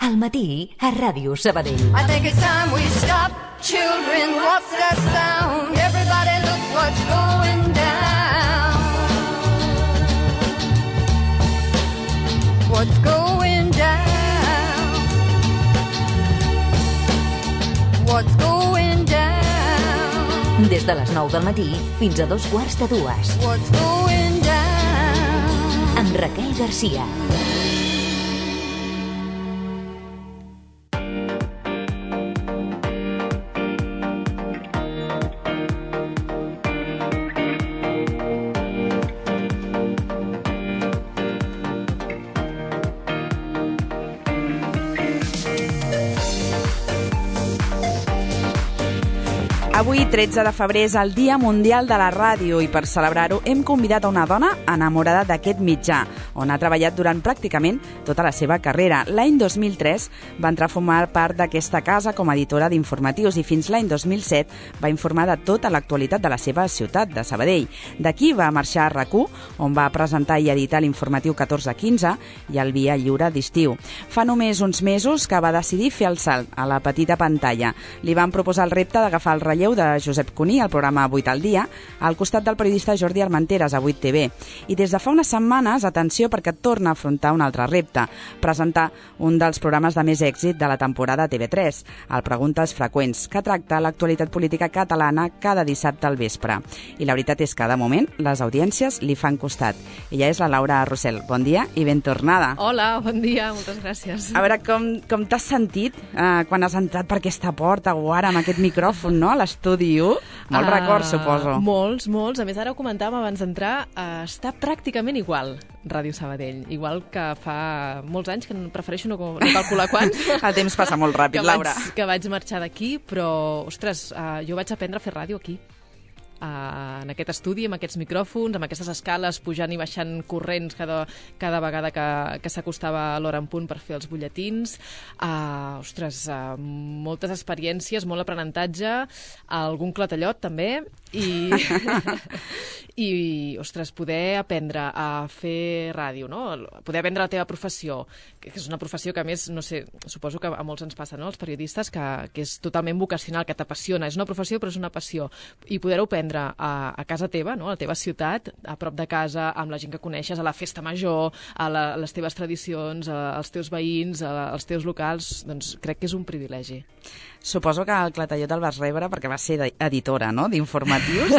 Al matí a Ràdio Sabadell. I think it's time we stop. Children, what's that sound? Everybody look what's going down. What's going down? What's going down? Des de les 9 del matí fins a 2:15. What's going down? Amb Raquel Garcia. Avui, 13 de febrer, és el Dia Mundial de la Ràdio i per celebrar-ho hem convidat a una dona enamorada d'aquest mitjà, on ha treballat durant pràcticament tota la seva carrera. L'any 2003 va entrar a formar part d'aquesta casa com a editora d'informatius i fins l'any 2007 va informar de tota l'actualitat de la seva ciutat, de Sabadell. D'aquí va marxar a RAC1, on va presentar i editar l'informatiu 14-15 i el Via Lliure d'estiu. Fa només uns mesos que va decidir fer el salt a la petita pantalla. Li van proposar el repte d'agafar el relleu de Josep Cuní al programa 8 al dia, al costat del periodista Jordi Armenteres a 8TV. I des de fa unes setmanes, atenció, perquè torna a afrontar un altre repte, presentar un dels programes de més èxit de la temporada TV3, el Preguntes Freqüents, que tracta l'actualitat política catalana cada dissabte al vespre. I la veritat és que, de moment, les audiències li fan costat. Ella és la Laura Rossell. Bon dia i ben tornada. Hola, bon dia, moltes gràcies. A veure, com t'has sentit quan has entrat per aquesta porta o ara amb aquest micròfon, no?, a l'estudi 1? Molts records, suposo. Molts. A més, ara ho comentàvem abans d'entrar, està pràcticament igual Ràdio Sabadell. Igual que fa molts anys, que prefereixo no calcular quants. El temps passa molt ràpid, Laura. Que vaig marxar d'aquí, però, ostres, jo vaig aprendre a fer ràdio aquí. En aquest estudi, amb aquests micròfons, amb aquestes escales, pujant i baixant corrents cada vegada que s'acostava l'hora en punt per fer els butlletins. Moltes experiències, molt aprenentatge, algun clatellot també, i ostres, poder aprendre a fer ràdio, no? Poder aprendre la teva professió, que és una professió que, a més, no sé, suposo que a molts ens passa, no?, els periodistes, que és totalment vocacional, que t'apassiona. És una professió, però és una passió. I poder-ho aprendre a casa teva, no?, a la teva ciutat, a prop de casa, amb la gent que coneixes, a la festa major, a les teves tradicions, als teus veïns, als teus locals, doncs crec que és un privilegi. Suposo que el clatellot el vas rebre perquè vas ser editora, no?, d'informatius.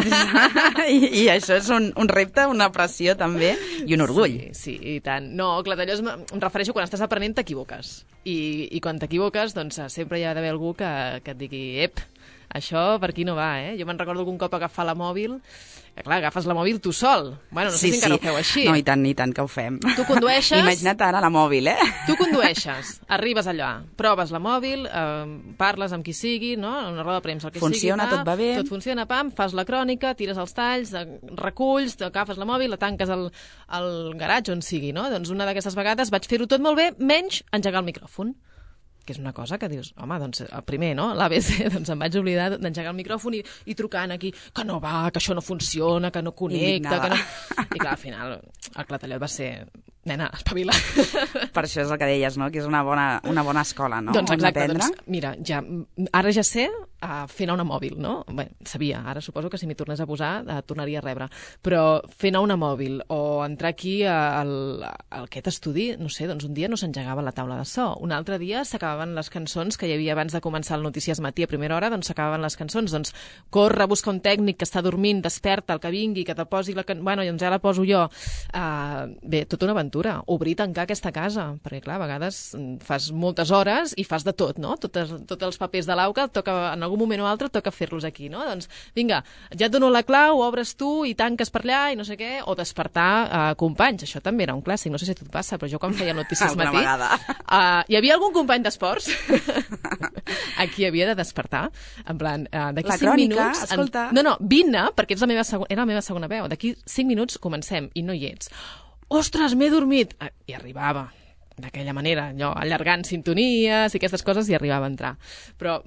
I això és un repte, una pressió també, i un orgull. Sí, i tant. No, clatellot em refereixo quan estàs aprenent t'equivoques. I quan t'equivoques, doncs sempre hi ha d'haver algú que et digui, ep, això per aquí no va, eh? Jo me'n recordo que un cop agafar la mòbil, que clar, agafes la mòbil tu sol. Bueno, no sé si encara ho feu així. No, i tant que ho fem. Tu condueixes... Imagina't ara la mòbil, eh? Tu condueixes, arribes allà, proves la mòbil, parles amb qui sigui, no?, en una roda de premsa, el que funciona, sigui. Tot va bé. Tot funciona, pam, fas la crònica, tires els talls, reculls, agafes la mòbil, la tanques al garatge on sigui, no? Doncs una d'aquestes vegades vaig fer-ho tot molt bé, menys engegar el micròfon. Que és una cosa que dius, home, doncs, primer, no?, l'ABC, doncs em vaig oblidar d'engegar el micròfon i trucant aquí, que no va, que això no funciona, que no connecta, que no... I clar, al final, el clatellot va ser... Nena, espavila. Per això és el que deies, no?, que és una bona escola, no?, doncs exacte, on aprendre. Doncs, mira, ara ja sé fer anar una mòbil, no? Bé, sabia, ara suposo que si m'hi tornés a posar tornaria a rebre, però fer anar una mòbil o entrar aquí a aquest estudi, no sé, doncs un dia no s'engegava la taula de so, un altre dia s'acabaven les cançons que hi havia abans de començar el Notícies Matí a primera hora, doncs s'acabaven les cançons, doncs corre, busca un tècnic que està dormint, desperta, el que vingui, que te posi la cançó, bueno, doncs ja la poso jo. Bé, tota una aventura, obrir i tancar aquesta casa, perquè clar, a vegades fas moltes hores i fas de tot, no? Tots els papers de l'auca, en algun moment o altre toca fer-los aquí, no? Doncs vinga, ja et dono la clau, obres tu i tanques per allà i no sé què, o despertar companys, això també era un clàssic, no sé si a tu et passa, però jo quan feia Notícies Matí hi havia algun company d'esports a qui havia de despertar, en plan, d'aquí 5 minuts... Escolta... No, vine, perquè era la meva segona veu, d'aquí 5 minuts comencem i no hi ets. Ostres, m'he dormit! I arribava, d'aquella manera, allò, allargant sintonies i aquestes coses, i arribava a entrar. Però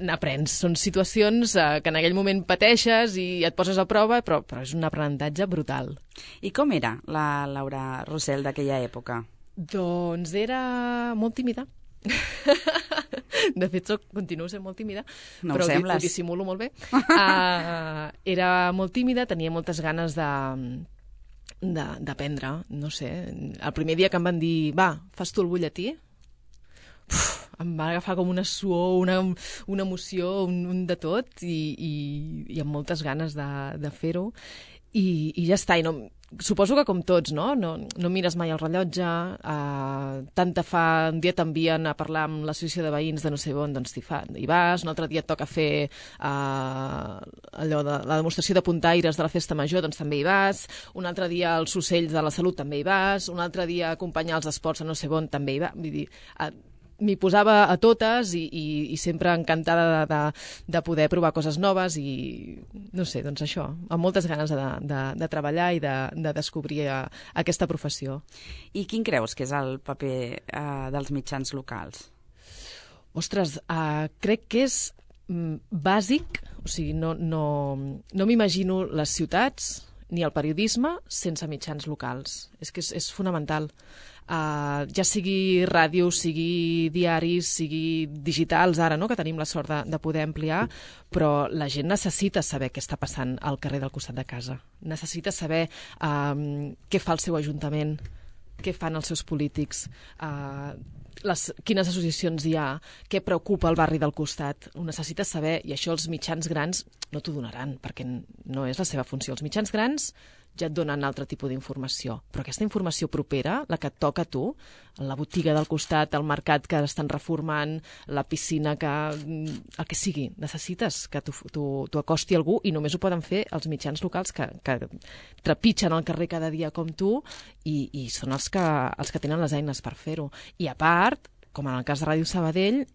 n'aprens, són situacions que en aquell moment pateixes i et poses a prova, però és un aprenentatge brutal. I com era la Laura Rossell d'aquella època? Doncs era molt tímida. De fet, continuo sent molt tímida, No ho però sembles. ho dissimulo molt bé. Era molt tímida, tenia moltes ganes d'aprendre, no sé. El primer dia que em van dir, va, fas tu el butlletí? Em va agafar com una suor, una emoció, un de tot, i amb moltes ganes de fer-ho. I ja està, suposo que com tots, no mires mai el rellotge, tant te fa, un dia t'envien a parlar amb l'associació de veïns de no sé on, doncs hi vas, un altre dia et toca fer allò de la demostració de puntaires de la festa major, doncs també hi vas, un altre dia els ocells de la salut també hi vas, un altre dia acompanyar els esports a no sé on també hi vas, vull dir, m'hi posava a totes i sempre encantada de poder provar coses noves i, no sé, doncs això, amb moltes ganes de treballar i de descobrir aquesta professió. I quin creus que és el paper dels mitjans locals? Ostres, crec que és bàsic, o sigui, no m'imagino les ciutats ni el periodisme sense mitjans locals. És que és fonamental. Ja sigui ràdio, sigui diaris, sigui digitals ara, no? Que tenim la sort de poder ampliar, però la gent necessita saber què està passant al carrer del costat de casa. Necessita saber què fa el seu ajuntament, què fan els seus polítics, quines associacions hi ha, què preocupa el barri del costat. Ho necessites saber, i això els mitjans grans no t'ho donaran, perquè no és la seva funció. Els mitjans grans ja et donen altre tipus d'informació, però aquesta informació propera, la que et toca a tu, la botiga del costat, el mercat que estan reformant, la piscina, el que sigui, necessites que t'ho acosti algú, i només ho poden fer els mitjans locals que trepitgen al carrer cada dia com tu i són els que tenen les eines per fer-ho. I a part, com en el cas de Ràdio Sabadell,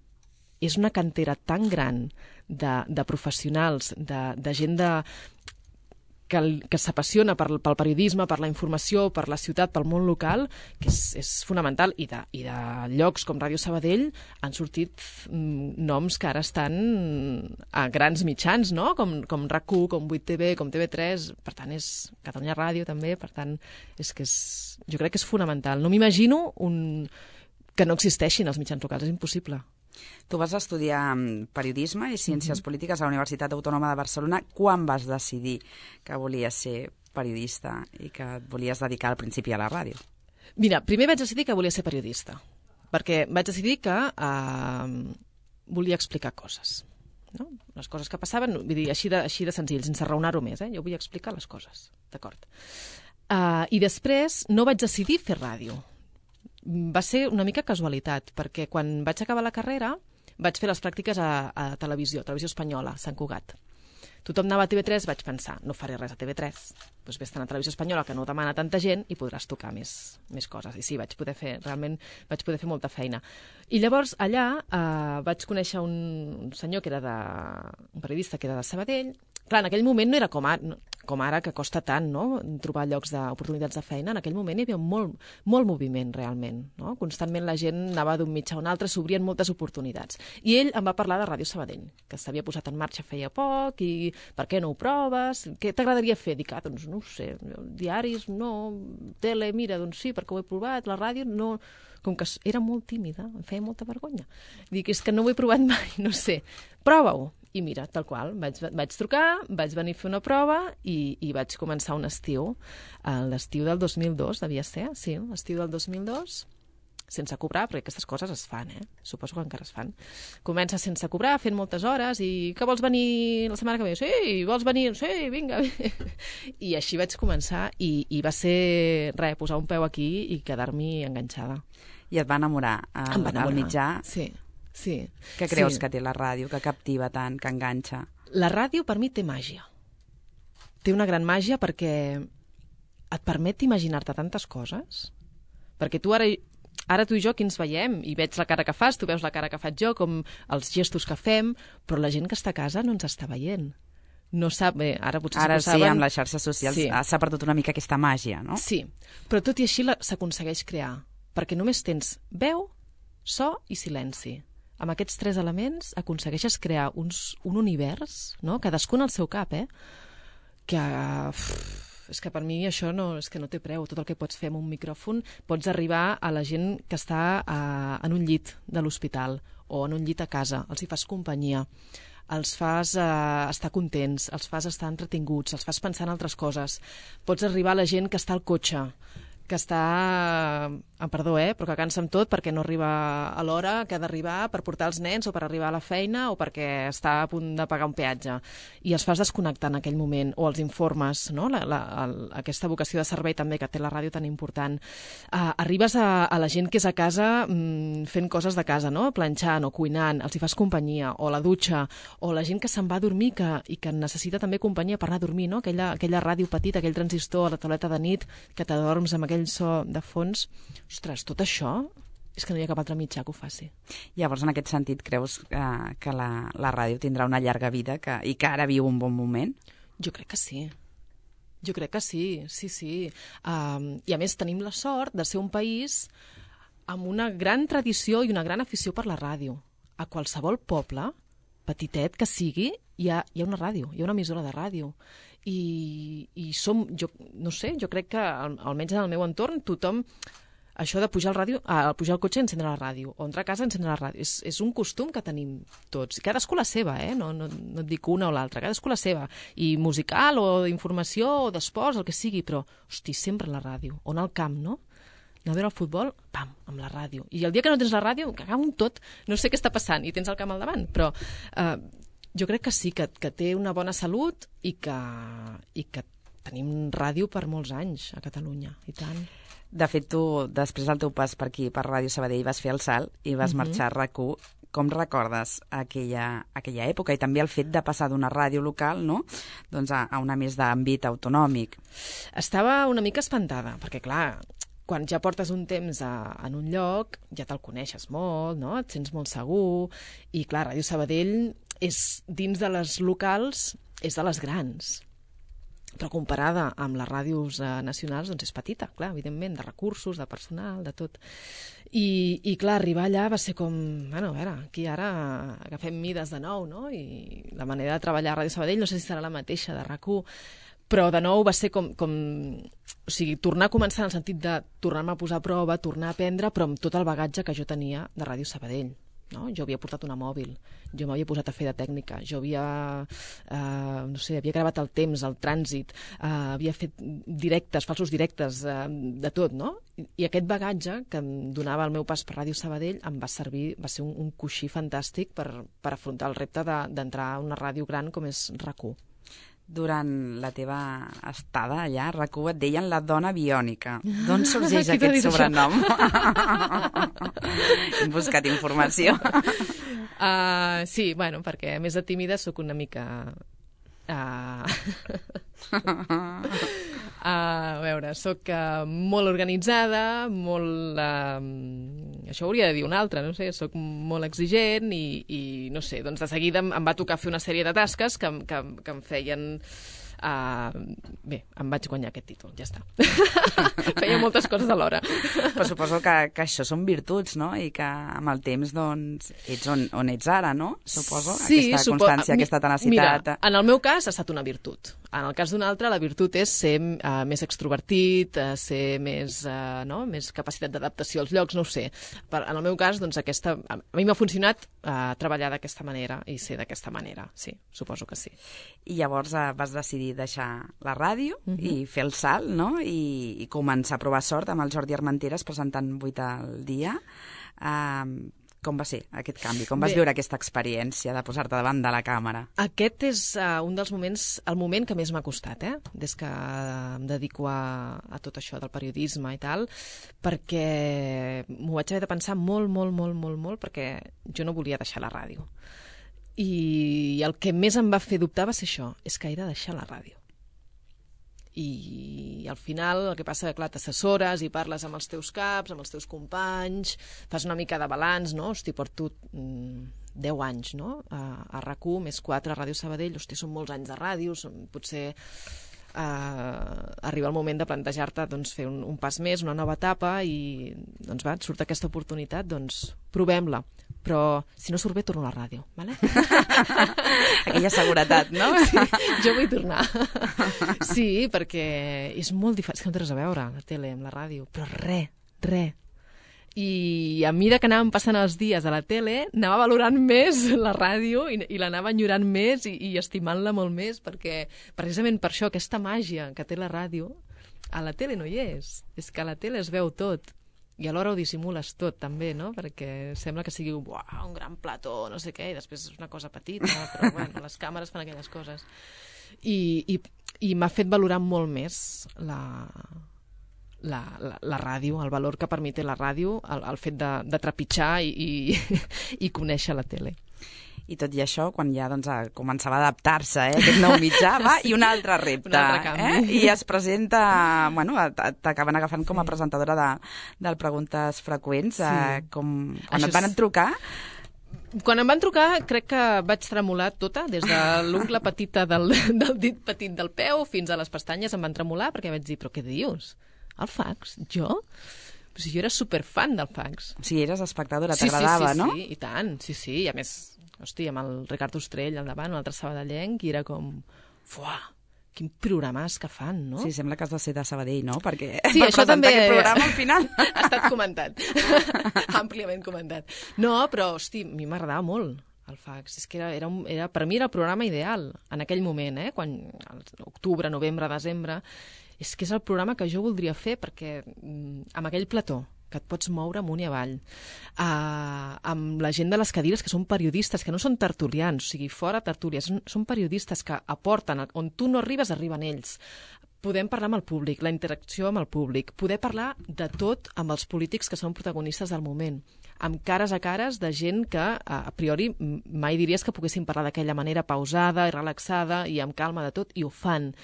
és una cantera tan gran de professionals, de gent que s'apassiona pel periodisme, per la informació, per la ciutat, pel món local, que és fonamental. I de llocs com Ràdio Sabadell han sortit noms que ara estan a grans mitjans, no? Com RAC1, com 8TV, com TV3, per tant és Catalunya Ràdio també, per tant jo crec que és fonamental. No m'imagino que no existeixin els mitjans locals, és impossible. Tu vas estudiar periodisme i ciències polítiques a la Universitat Autònoma de Barcelona. Quan vas decidir que volies ser periodista i que et volies dedicar al principi a la ràdio? Mira, primer vaig decidir que volia ser periodista, perquè vaig decidir que volia explicar coses. No? Les coses que passaven, vull dir, així de senzill, sense raonar-ho més. Jo vull explicar les coses, d'acord? I després no vaig decidir fer ràdio. Va ser una mica casualitat, perquè quan vaig acabar la carrera vaig fer les pràctiques a televisió espanyola, Sant Cugat. Tothom anava a TV3, vaig pensar, no faré res a TV3, doncs vés-te'n a Televisió Espanyola, que no demana tanta gent, i podràs tocar més coses. I sí, realment vaig poder fer molta feina. I llavors allà vaig conèixer un senyor que era un periodista que era de Sabadell. Clar, en aquell moment no era com ara, que costa tant, no?, trobar llocs d'oportunitats de feina. En aquell moment hi havia molt moviment, realment. No? Constantment la gent anava d'un mitjà a un altre, s'obrien moltes oportunitats. I ell em va parlar de Ràdio Sabadell, que s'havia posat en marxa feia poc, i per què no ho proves? Què t'agradaria fer? Dic, doncs no ho sé, diaris, no, tele, mira, doncs sí, perquè ho he provat, la ràdio, no... Com que era molt tímida, em feia molta vergonya. Dic, és que no ho he provat mai, no sé. Prova-ho. I mira, tal qual, vaig trucar, vaig venir a fer una prova i vaig començar un estiu. L'estiu del 2002, devia ser, sí, l'estiu del 2002, sense cobrar, perquè aquestes coses es fan, suposo que encara es fan. Comença sense cobrar, fent moltes hores, i que vols venir la setmana que ve? Sí, vols venir? Sí, vinga. I així vaig començar, i va ser, posar un peu aquí i quedar-m'hi enganxada. I et va enamorar el mitjà? Sí. Què creus que té la ràdio, que captiva tant, que enganxa? La ràdio per mi té màgia. Té una gran màgia perquè et permet imaginar-te tantes coses. Perquè tu ara tu i jo aquí ens veiem i veig la cara que fas, tu veus la cara que faig jo, com els gestos que fem, però la gent que està a casa no ens està veient. No sap, bé, ara potser ara sí que ho saben. Amb les xarxes socials s'ha perdut una mica aquesta màgia, no? Sí, però tot i així s'aconsegueix crear, perquè només tens veu, so i silenci. Amb aquests 3 elements aconsegueixes crear un univers, no? Cadascun al seu cap, que és que per mi això és que no té preu. Tot el que pots fer amb un micròfon, pots arribar a la gent que està en un llit de l'hospital o en un llit a casa, els hi fas companyia, els fas estar contents, els fas estar entretinguts, els fas pensar en altres coses. Pots arribar a la gent que està al cotxe, que està, perdó, però que cansa amb tot perquè no arriba a l'hora que ha d'arribar per portar els nens o per arribar a la feina o perquè està a punt de pagar un peatge. I els fas desconnectar en aquell moment, o els informes, no? Aquesta vocació de servei també que té la ràdio tan important. Arribes a la gent que és a casa fent coses de casa, no? Planxant o cuinant, els hi fas companyia, o la dutxa, o la gent que se'n va a dormir i que necessita també companyia per anar a dormir, no? Aquella ràdio petita, aquell transistor a la tauleta de nit, que t'adorms amb aquell so de fons. Ostres, tot això és que no hi ha cap altre mitjà que ho faci. Llavors, en aquest sentit, creus que la ràdio tindrà una llarga vida i que ara viu un bon moment? Jo crec que sí. Jo crec que sí, sí. I a més tenim la sort de ser un país amb una gran tradició i una gran afició per la ràdio. A qualsevol poble, petitet que sigui, hi ha una ràdio, hi ha una emissora de ràdio. I som, jo no sé, jo crec que almenys en el meu entorn tothom, això de pujar al cotxe i encendre la ràdio, o entrar a casa i encendre la ràdio, és un costum que tenim tots, cadascú la seva, no et dic una o l'altra, cadascú la seva, i musical o d'informació o d'esports, el que sigui, però hosti, sempre la ràdio, o anar al camp, no? Anar a veure el futbol, pam, amb la ràdio, i el dia que no tens la ràdio, que acaba un tot, no sé què està passant, i tens el camp al davant, però jo crec que sí, que té una bona salut i que tenim ràdio per molts anys a Catalunya, i tant. De fet, tu, després del teu pas per aquí, per Ràdio Sabadell, vas fer el salt i vas marxar a RAC1. Com recordes aquella època i també el fet de passar d'una ràdio local, no?, doncs a una més d'àmbit autonòmic? Estava una mica espantada, perquè clar, quan ja portes un temps en un lloc, ja te'l coneixes molt, no?, et sents molt segur, i clar, Ràdio Sabadell és, dins de les locals, és de les grans. Però comparada amb les ràdios nacionals, doncs és petita, clar, evidentment, de recursos, de personal, de tot. I clar, arribar allà va ser com, bueno, a veure, aquí ara agafem mides de nou, no? I la manera de treballar a Ràdio Sabadell no sé si serà la mateixa de RAC1, però de nou va ser com o sigui, tornar a començar en el sentit de tornar-me a posar a prova, tornar a aprendre, però amb tot el bagatge que jo tenia de Ràdio Sabadell. No? Jo havia portat una mòbil, jo m'havia posat a fer de tècnica, jo havia, no sé, havia gravat el temps, el trànsit, havia fet directes, falsos directes, de tot, no? I aquest bagatge que em donava el meu pas per Ràdio Sabadell em va servir, va ser un coixí fantàstic per afrontar el repte d'entrar a una ràdio gran com és RAC1. Durant la teva estada allà, a RAC1 et deien la dona biònica. D'on sorgeix aquest sobrenom? Hem buscat informació. Sí, bueno, perquè a més de tímida sóc una mica... A veure, sóc molt organitzada, molt... això ho hauria de dir un altre, no sé, sóc molt exigent i no sé, doncs de seguida em va tocar fer una sèrie de tasques que em feien... bé, em vaig guanyar aquest títol, ja està. Feia moltes coses alhora. Però suposo que això són virtuts, no? I que amb el temps, doncs, ets on ets ara, no? Suposo, sí, aquesta constància, aquesta tenacitat... Mira, en el meu cas ha estat una virtut. En el cas d'un altre, la virtut és ser més extrovertit, ser més capacitat d'adaptació als llocs, no ho sé. En el meu cas, doncs, a mi m'ha funcionat treballar d'aquesta manera i ser d'aquesta manera, sí, suposo que sí. I llavors vas decidir deixar la ràdio i fer el salt, no? I començar a provar sort amb el Jordi Armenteres presentant 8 al dia. Com va ser aquest canvi? Com vas viure aquesta experiència de posar-te davant de la càmera? Aquest és un dels moments, el moment que més m'ha costat, des que em dedico a tot això del periodisme i tal, perquè m'ho vaig haver de pensar molt, perquè jo no volia deixar la ràdio. I el que més em va fer dubtar va ser això, és que he de deixar la ràdio. I al final el que passa és que, clar, t'assessores i parles amb els teus caps, amb els teus companys, fas una mica de balanç, no? Hosti, porto 10 anys, no? A RAC1, més 4 a Ràdio Sabadell, hosti, són molts anys de ràdio, potser arriba el moment de plantejar-te doncs, fer un pas més, una nova etapa i doncs va, et surt aquesta oportunitat, doncs provem-la. però si no surt bé torno a la ràdio, vale? Aquella seguretat, no? Sí, jo vull tornar. Sí, perquè és molt diferent, és que no té res a veure la tele amb la ràdio, però res. I a mesura que anàvem passant els dies a la tele, anava valorant més la ràdio i l'anava enyorant més i estimant-la molt més, perquè precisament per això aquesta màgia que té la ràdio, a la tele no hi és. És que a la tele es veu tot. I alhora ho dissimules tot, també, no? Perquè sembla que sigui un gran plató, no sé què, i després és una cosa petita, però bueno, les càmeres fan aquelles coses. I m'ha fet valorar molt més la ràdio, el valor que per mi té la ràdio, el fet de trepitjar i conèixer la tele. I tot i això, quan ja començava a adaptar-se aquest nou mitjà, i un altre repte. Un altre canvi. I es presenta, t'acaben agafant com a presentadora del Preguntes Freqüents. Sí. Quan et van trucar... Quan em van trucar, crec que vaig tremolar tota, des de l'ungla petita del dit petit del peu fins a les pestanyes em van tremolar, perquè vaig dir, però què dius? El fax? Jo? Però si jo era superfan del fax. O sigui, eres espectadora, t'agradava, no? Sí, i tant, sí. I a més, hosti, amb el Ricard Ostrell al davant, un altre sabadellenc, i era com... Fuà, quin programàs que fan, no? Sí, sembla que has de ser de Sabadell, no? Perquè sí, per això presentar també aquest programa al final... ha estat comentat. Àmpliament comentat. No, però, hosti, a mi m'agradava molt el fax. És que per mi era el programa ideal en aquell moment, quan octubre, novembre, desembre... És que és el programa que jo voldria fer perquè amb aquell plató que et pots moure amunt i avall, amb la gent de les cadires que són periodistes, que no són tertulians, o sigui, fora tertúlies, són periodistes que aporten, on tu no arribes, arriben ells. Podem parlar amb el públic, la interacció amb el públic, poder parlar de tot amb els polítics que són protagonistes del moment, amb cares a cares de gent que, a priori, mai diries que poguessin parlar d'aquella manera pausada i relaxada i amb calma de tot, i ho fan.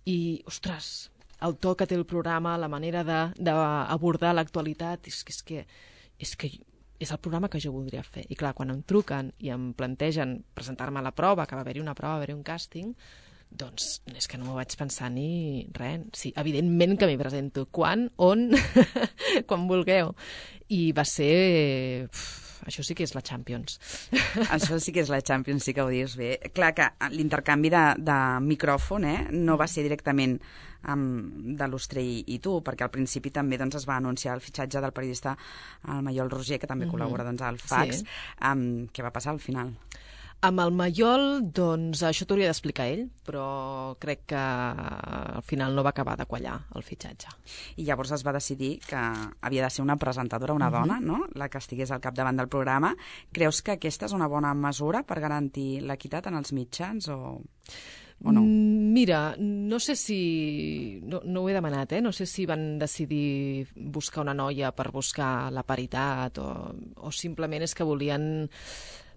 I, ostres, el to que té el programa, la manera d'abordar l'actualitat, és que és el programa que jo voldria fer. I clar, quan em truquen i em plantegen presentar-me a la prova, que va haver-hi una prova, va haver-hi un càsting, doncs és que no m'ho vaig pensar ni res. Sí, evidentment que m'hi presento. Quan, on, quan vulgueu. I va ser... Això sí que és la Champions. Això sí que és la Champions, sí que ho dius bé. Clar que l'intercanvi de micròfon no va ser directament de l'Ostrell i tu, perquè al principi també es va anunciar el fitxatge del periodista el Maiol Roger, que també col·labora al fax. Sí. Què va passar al final? Amb el Maiol, doncs, això t'hauria d'explicar ell, però crec que al final no va acabar de quallar el fitxatge. I llavors es va decidir que havia de ser una presentadora, una dona, no?, la que estigués al capdavant del programa. Creus que aquesta és una bona mesura per garantir l'equitat en els mitjans o no? Mira, no sé si... No ho he demanat, no sé si van decidir buscar una noia per buscar la paritat o simplement és que volien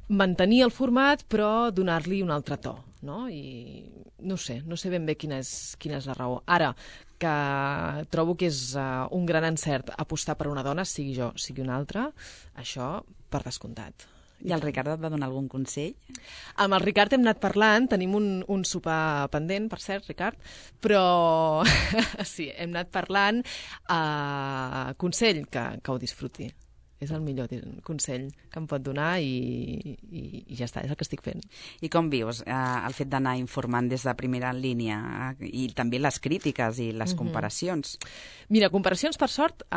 mantenir el format però donar-li un altre to, no? I no sé ben bé quina és la raó. Ara, que trobo que és un gran encert apostar per una dona, sigui jo, sigui una altra, això per descomptat. I el Ricard et va donar algun consell? Amb el Ricard hem anat parlant, tenim un sopar pendent, per cert, Ricard, però sí, hem anat parlant. Consell, que ho disfruti. És el millor consell que em pot donar i ja està, és el que estic fent. I com vius el fet d'anar informant des de primera línia i també les crítiques i les comparacions? Mira, comparacions, per sort,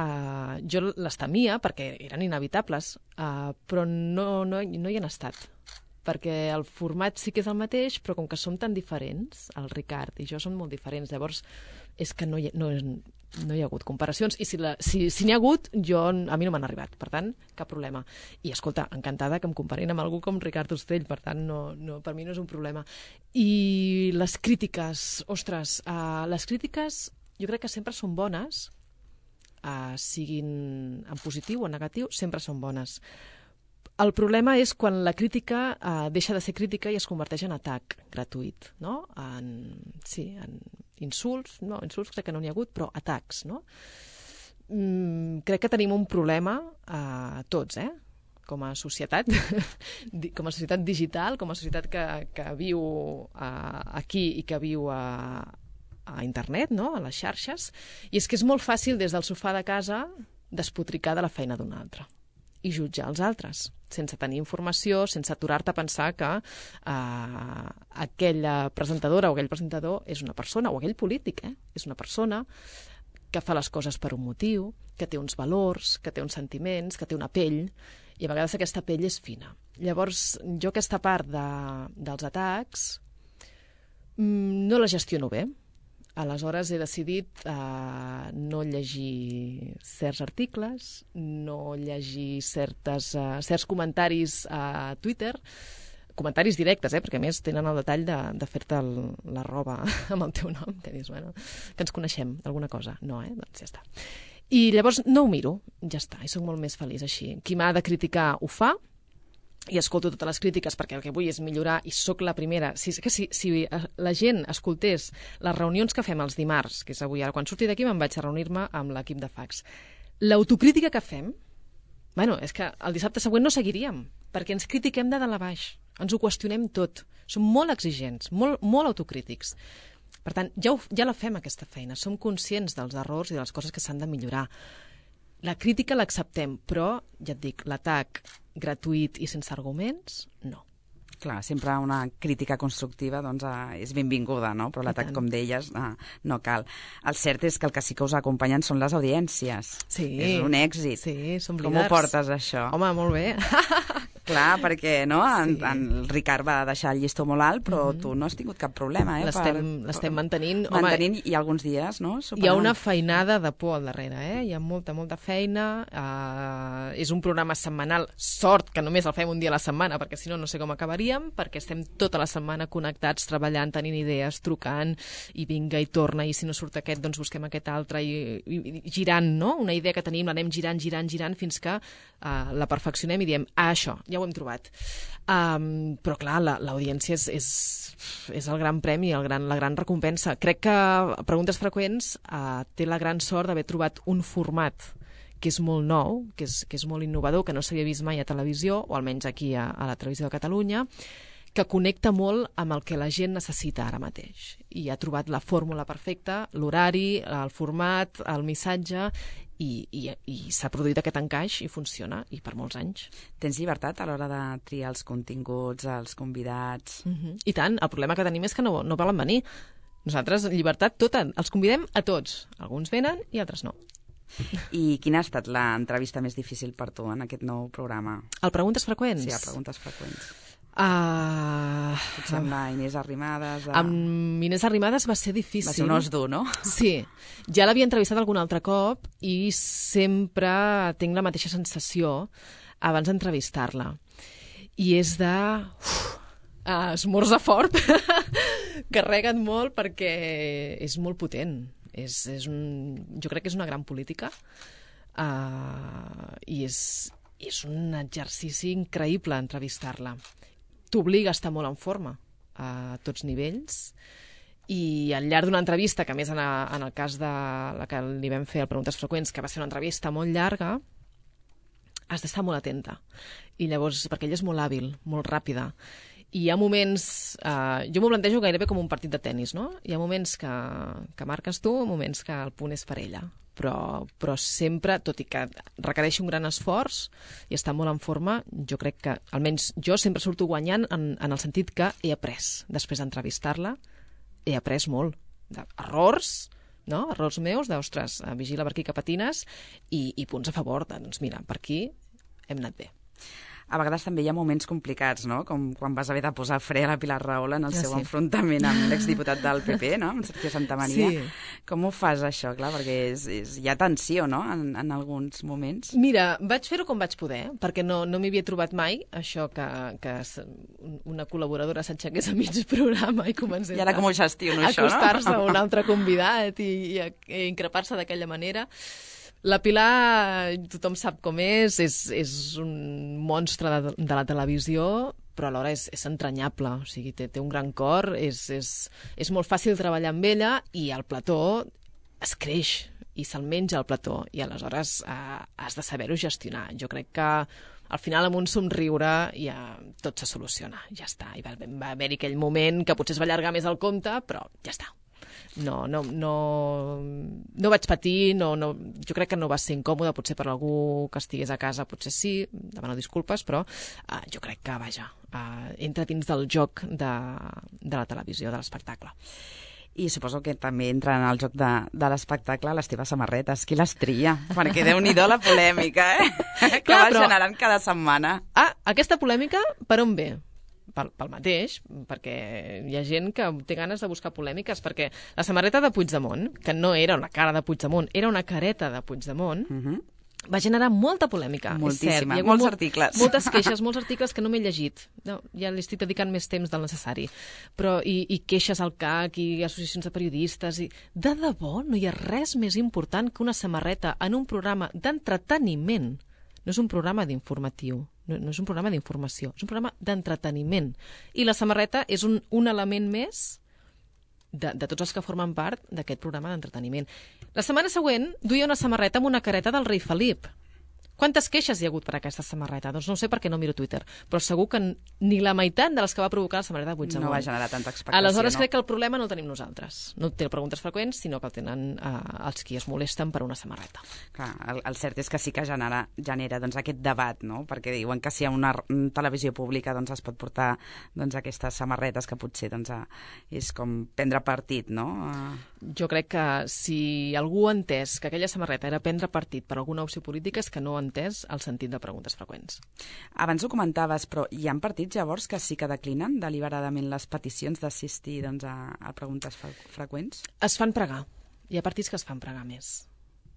jo les temia perquè eren inevitables, però no hi han estat. Perquè el format sí que és el mateix, però com que som tan diferents, el Ricard i jo som molt diferents, llavors és que no hi ha hagut comparacions, i si n'hi ha hagut, a mi no m'han arribat, per tant, cap problema. I, escolta, encantada que em comparin amb algú com Ricard Ostrell, per tant, per mi no és un problema. I les crítiques, ostres, les crítiques jo crec que sempre són bones, siguin en positiu o en negatiu, sempre són bones. El problema és quan la crítica deixa de ser crítica i es converteix en atac gratuït, no? En insults, no, insults crec que no n'hi ha hagut, però atacs, no? Crec que tenim un problema tots, com a societat, com a societat digital, com a societat que viu aquí i que viu a internet, no? A les xarxes, i és que és molt fàcil des del sofà de casa despotricar de la feina d'un altre. i jutjar els altres, sense tenir informació, sense aturar-te a pensar que aquella presentadora o aquell presentador és una persona, o aquell polític, és una persona que fa les coses per un motiu, que té uns valors, que té uns sentiments, que té una pell, i a vegades aquesta pell és fina. Llavors, jo aquesta part dels atacs no la gestiono bé. Aleshores he decidit no llegir certs articles, no llegir certs comentaris a Twitter, comentaris directes, perquè a més tenen el detall de fer-te la roba amb el teu nom, que dius, bueno, que ens coneixem, alguna cosa. No, doncs ja està. I llavors no ho miro, ja està, i soc molt més feliç així. Qui m'ha de criticar ho fa, i escolto totes les crítiques perquè el que vull és millorar i sóc la primera. Si la gent escoltés les reunions que fem els dimarts, que és avui, ara quan surti d'aquí me'n vaig a reunir-me amb l'equip de fax, l'autocrítica que fem, és que el dissabte següent no seguiríem, perquè ens critiquem de dalt a baix, ens ho qüestionem tot, som molt exigents, molt autocrítics. Per tant, ja la fem aquesta feina, som conscients dels errors i de les coses que s'han de millorar. La crítica l'acceptem, però, ja et dic, l'atac gratuït i sense arguments, no. Clar, sempre una crítica constructiva doncs, és benvinguda, no? Però l'atac, com deies, no cal. El cert és que el que sí que us acompanyen són les audiències. Sí. És un èxit. Sí, som líders. Com ho portes, això? Home, molt bé. Clar, perquè no? En Ricard va deixar el llistó molt alt, però tu no has tingut cap problema. L'estem mantenint. Mantenint, i alguns dies, no? Hi ha una feinada de por al darrere, Hi ha molta feina. És un programa setmanal. Sort que només el fem un dia a la setmana, perquè si no sé com acabaríem, perquè estem tota la setmana connectats, treballant, tenint idees, trucant, i vinga, i torna, i si no surt aquest, doncs busquem aquest altre, i girant, no? Una idea que tenim, l'anem girant, fins que la perfeccionem i diem, això, ja ho hem trobat. Però clar, l'audiència és el gran premi, la gran recompensa. Crec que Preguntes Freqüents té la gran sort d'haver trobat un format que és molt nou, que és molt innovador, que no s'havia vist mai a televisió, o almenys aquí a la Televisió de Catalunya, que connecta molt amb el que la gent necessita ara mateix. I ha trobat la fórmula perfecta, l'horari, el format, el missatge, i s'ha produït aquest encaix i funciona, i per molts anys. Tens llibertat a l'hora de triar els continguts, els convidats? I tant, el problema que tenim és que no volen venir. Nosaltres, llibertat tota, els convidem a tots. Alguns venen i altres no. I quina ha estat l'entrevista més difícil per tu en aquest nou programa? El Preguntes Freqüents? Sí, el Preguntes Freqüents. Potser amb la Inés Arrimadas... Amb Inés Arrimadas va ser difícil. Va ser un os dur, no? Sí. Ja l'havia entrevistat algun altre cop i sempre tinc la mateixa sensació abans d'entrevistar-la. I és de... esmorza fort. Carrega't molt perquè és molt potent. Jo crec que és una gran política i és un exercici increïble entrevistar-la. T'obliga a estar molt en forma a tots nivells, i al llarg d'una entrevista, que a més en el cas de la que li vam fer al Preguntes Freqüents, que va ser una entrevista molt llarga, has d'estar molt atenta. I llavors, perquè ella és molt hàbil, molt ràpida, i hi ha moments... jo m'ho plantejo gairebé com un partit de tennis, no? Hi ha moments que marques tu, moments que el punt és per ella. Però sempre, tot i que requereixi un gran esforç i està molt en forma, jo crec que, almenys jo sempre surto guanyant en el sentit que he après, després d'entrevistar-la, he après molt. Errors, no? Errors meus, d'ostres, vigila per aquí que patines, i punts a favor, doncs mira, per aquí hem anat bé. A vegades també hi ha moments complicats, no? Com quan vas haver de posar fre a la Pilar Rahola en el seu enfrontament amb l'exdiputat del PP, no? Amb Sergio Santamaría. Sí. Com ho fas, això? Clar, perquè hi ha tensió, no?, en alguns moments. Mira, vaig fer-ho com vaig poder, perquè no m'hi havia trobat mai, això que una col·laboradora s'aixequés a mig programa i comencés I ara com ho gestiono, això, no? Acostar-se a un altre convidat i increpar-se d'aquella manera. La Pilar, tothom sap com és un monstre de la televisió, però alhora és entranyable, o sigui, té un gran cor, és molt fàcil treballar amb ella, i el plató es creix i se'l menja el plató, i aleshores has de saber-ho gestionar. Jo crec que al final amb un somriure ja tot se soluciona, ja està. I va haver-hi aquell moment que potser es va allargar més el compte, però ja està. no vaig patir, jo crec que no va ser incòmode, potser per algú que estigués a casa, potser sí, demano disculpes, però jo crec que, vaja, entra dins del joc de la televisió, de l'espectacle. I suposo que també entra en el joc de l'espectacle les teves samarretes. Qui les tria? Perquè Déu-n'hi-do la polèmica, que va generant cada setmana. Aquesta polèmica per on ve? Pel mateix, perquè hi ha gent que té ganes de buscar polèmiques, perquè la samarreta de Puigdemont, que no era una cara de Puigdemont, era una careta de Puigdemont, va generar molta polèmica. Moltíssima, molts articles. Moltes queixes, molts articles que no m'he llegit. No, ja li estic dedicant més temps del necessari. Però, i queixes al CAC, i associacions de periodistes... De debò, no hi ha res més important que una samarreta en un programa d'entreteniment. No és un programa d'informatiu, no és un programa d'informació, és un programa d'entreteniment. I la samarreta és un element més de tots els que formen part d'aquest programa d'entreteniment. La setmana següent duia una samarreta amb una careta del rei Felip. Quantes queixes hi ha hagut per aquesta samarreta? Doncs no ho sé perquè no miro Twitter, però segur que ni la meitat de les que va provocar la samarreta de Puigdemont. No va generar tanta expectació. Aleshores crec que el problema no el tenim nosaltres. No té preguntes freqüents, sinó que el tenen els qui es molesten per una samarreta. Clar, el cert és que sí que genera doncs, aquest debat, no? Perquè diuen que si hi ha una televisió pública doncs, es pot portar doncs, aquestes samarretes que potser doncs, és com prendre partit, no? Jo crec que si algú ha entès que aquella samarreta era prendre partit per alguna opció política és que no ha entès el sentit de preguntes freqüents. Abans ho comentaves, però hi ha partits llavors que sí que declinen deliberadament les peticions d'assistir doncs, a preguntes freqüents? Es fan pregar. Hi ha partits que es fan pregar més.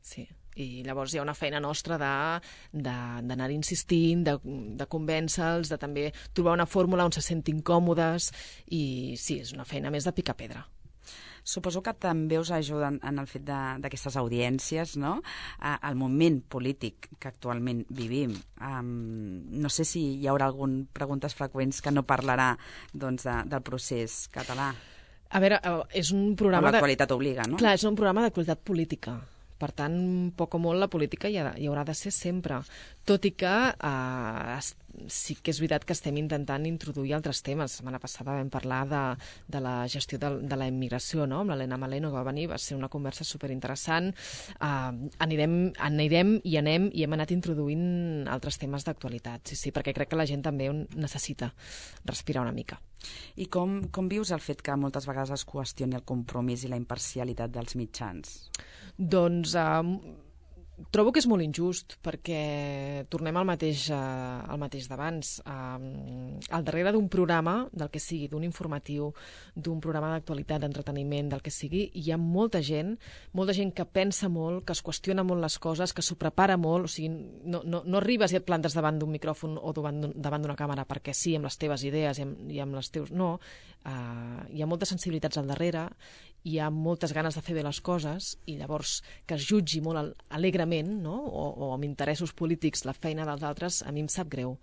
Sí. I llavors hi ha una feina nostra d'anar insistint, de convèncer-los, de també trobar una fórmula on se sentin còmodes i sí, és una feina més de picar pedra. Suposo que també us ajuden en el fet d'aquestes audiències, no? Al moment polític que actualment vivim. No sé si hi haurà algun preguntes freqüents que no parlarà doncs, del procés català. A veure, és un programa... L'actualitat obliga, no? Clar, és un programa d'actualitat política. Per tant, poc o molt la política hi haurà de ser sempre. Tot i que sí que és veritat que estem intentant introduir altres temes. La setmana passada vam parlar de la gestió de la immigració, no? Amb l'Helena Maleno, que va venir, va ser una conversa superinteressant. Anirem i anem i hem anat introduint altres temes d'actualitat, sí, perquè crec que la gent també necessita respirar una mica. I com vius el fet que moltes vegades es qüestioni el compromís i la imparcialitat dels mitjans? Doncs trobo que és molt injust, perquè tornem al mateix d'abans. Al darrere d'un programa, del que sigui, d'un informatiu, d'un programa d'actualitat, d'entreteniment, del que sigui, hi ha molta gent que pensa molt, que es qüestiona molt les coses, que s'ho prepara molt, o sigui, no arribes i et plantes davant d'un micròfon o davant d'una càmera perquè sí, amb les teves idees i amb les teus... No, hi ha moltes sensibilitats al darrere, hi ha moltes ganes de fer bé les coses i llavors que es jutgi molt alegrement, no? o amb interessos polítics la feina dels altres, a mi em sap greu.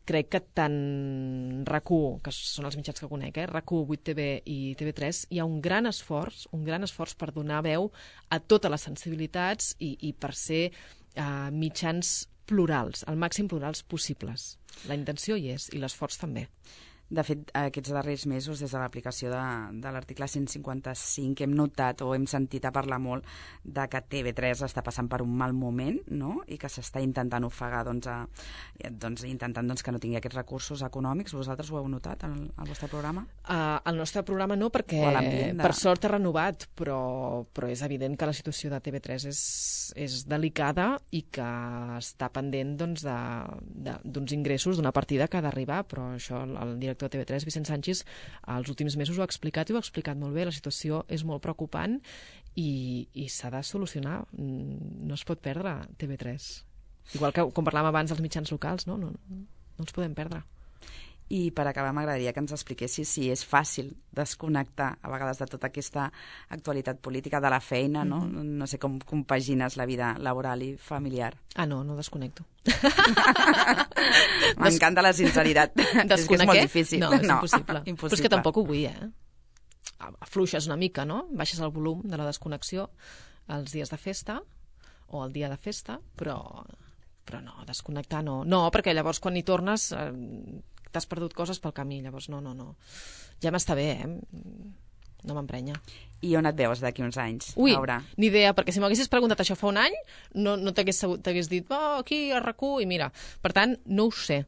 Crec que tant RAC1, que són els mitjans que conec, RAC1, 8TV i TV3, hi ha un gran esforç per donar veu a totes les sensibilitats i per ser mitjans plurals, el màxim plurals possibles. La intenció hi és i l'esforç també. De fet, aquests darrers mesos, des de l'aplicació de l'article 155, hem notat o hem sentit a parlar molt de que TV3 està passant per un mal moment, no? I que s'està intentant ofegar, intentant que no tingui aquests recursos econòmics. Vosaltres ho heu notat al vostre programa? Al nostre programa no, perquè per sort ha renovat, però és evident que la situació de TV3 és delicada i que està pendent d'uns ingressos, d'una partida que ha d'arribar, però això el director de TV3, Vicent Sánchez, els últims mesos ho ha explicat i ho ha explicat molt bé. La situació és molt preocupant i s'ha de solucionar. No es pot perdre TV3. Igual que, com parlàvem abans dels mitjans locals, no els podem perdre. I per acabar m'agradaria que ens expliquessis si és fàcil desconnectar a vegades de tota aquesta actualitat política, de la feina, no? No sé com compagines la vida laboral i familiar. No desconnecto. M'encanta la sinceritat. És que és molt difícil. No, és impossible. Però és que tampoc ho vull, Afluixes una mica, no? Baixes el volum de la desconnexió els dies de festa o el dia de festa, però no, desconnectar no. No, perquè llavors quan hi tornes t'has perdut coses pel camí, llavors no. Ja m'està bé, no m'emprenya. I on et veus d'aquí uns anys, Ui, Laura? ni idea, perquè si m'haguessis preguntat això fa un any, no t'hagués dit, aquí a RAC1, i mira. Per tant, no ho sé.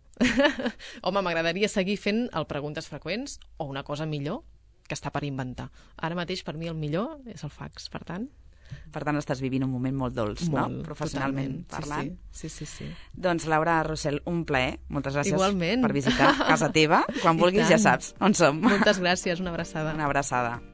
Home, m'agradaria seguir fent el Preguntes Freqüents o una cosa millor que està per inventar. Ara mateix, per mi, el millor és el fax, per tant... Per tant, estàs vivint un moment molt dolç, molt, no? Professionalment parlant. Sí. Doncs, Laura Rossell, un plaer. Moltes gràcies Igualment. per visitar casa teva. Quan vulguis ja saps on som. Moltes gràcies, una abraçada. Una abraçada.